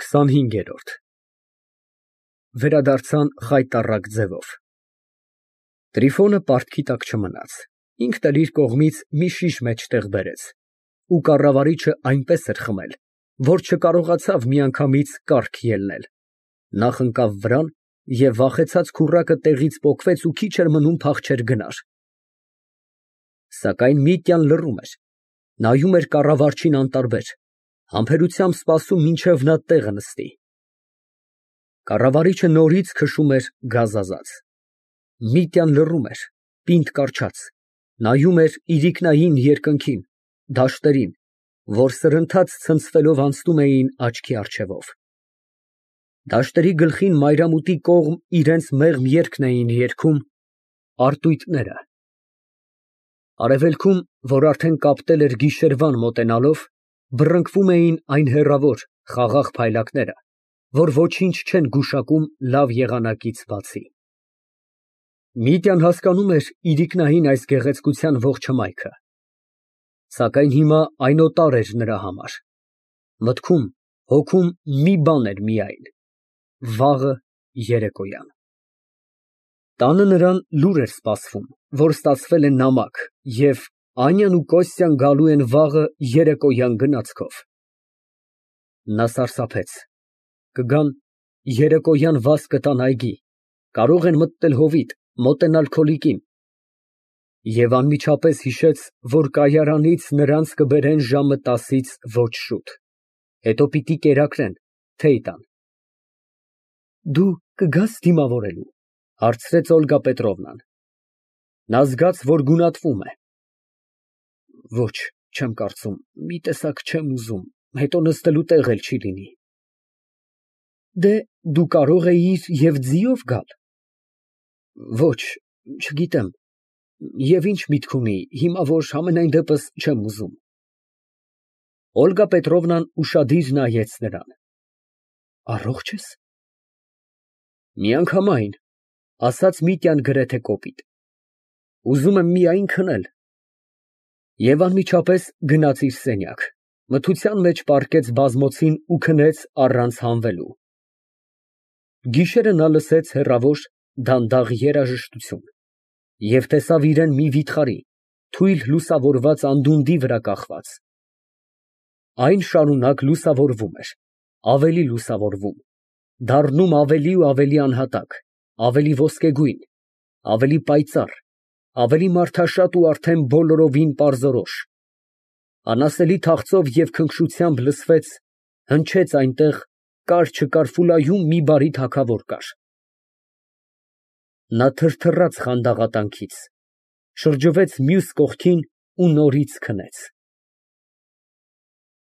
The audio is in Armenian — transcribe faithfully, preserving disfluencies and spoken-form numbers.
քսանհինգերորդ Վերադարձան խայտառակ ձևով։ Տրիֆոնը պարտքի տակ չմնաց, ինքն էլ իր կողմից մի շիշ մեջտեղ բերեց ու կառավարիչը այնպես էր խմել, որ չկարողացավ միանգամից կառք ելնել, նախ ընկավ վրան և վախեցած քուռակը տեղից պոկվեց ու քիչ էր մնում փախչեր գնար։ Սակայն Միտյան լռում էր, նայում էր կառավարչին անտարբեր, համբերությամբ սպասում մինչև նա տեղը նստի։ Կառավարիչը նորից քշում էր գազազած։ Միտյան լռում էր, պինդ կառչած, նայում էր իրիկնային երկնքին, դաշտերին, որ սրընթաց ցնցվելով անցնում էին աչքի առջևով։ Դաշտերի գլխին մայրամուտի կողմ իրենց մեղմ երգն էին երգում արտույտները։ Արևելքում, որ արդեն կապտել էր գիշերվան մոտենալով, բռնկվում էին այն հեռավոր, խաղաղ փայլակները, որ ոչինչ չեն գուշակում լավ եղանակից բացի։ Միտյան հասկանում էր իրիկնային այս գեղեցկության ողջ հմայքը, սակայն հիմա այն օտար էր նրա համար։ Մտքում, հոգում մի բան էր միայն՝ վաղը երեկոյան։ Տանը նրան լուր էր սպասվում, որ ստացվել է նամակ և Անյան ու Կոստյան գալու են վաղը երեկոյան գնացքով։ Նա սարսափեց։ Կգան, երեկոյան վազ կտան այգի, կարող են մտնել հովիտ, մոտենալ քոլիկին։ Եվ անմիջապես հիշեց, որ կայարանից նրանց կբերեն ժամը տասից ոչ շուտ, հետո պիտի կերակրեն, թեյ տան։ Դու կգա՞ս դիմավորելու, հարցրեց Օլգա Պետրովնան։ Նա զգաց, որ գունատվում է։ Ոչ, չեմ կարծում, մի տեսակ չեմ ուզում, հետո նստելու տեղ էլ չի լինի։ Դե, դու կարող էիր և ձիով գալ։ Ոչ, չգիտեմ, և ինչ միտք ունի, հիմա որ համենայն դեպս չեմ ուզում։ Օլգա Պետրովնան ուշադիր նայեց նրան։ Առողջ ես։ Միանգամայն, ասաց Միտյան գրեթե կոպիտ։ Ուզում եմ միայն քնել։ Եվ անմիջապես գնաց իր սենյակ, մթության մեջ պառկեց բազմոցին ու քնեց առանց հանվելու։ Գիշերը նա լսեց հեռավոր, դանդաղ երաժշտություն և տեսավ իրան մի վիթխարի, թույլ լուսավորված անդունդի վրա կախված։ Այն շարունակ լուսավորվում էր, ավելի լուսավորվում, դառնում ավելի ու ավելի անհատակ, ավելի ոսկեգույն, ավելի պայծառ, ավելի մարդաշատ ու արդեն բոլորովին պարզորոշ։ Անասելի թախծով և քնքշությամբ լսվեց, հնչեց այնտեղ, կար֊չկար Ֆուլայում մի բարի թագավոր կար։ Նա թրթռաց խանդաղատանքից, շրջվեց մյուս կողքին ու նորից քնեց։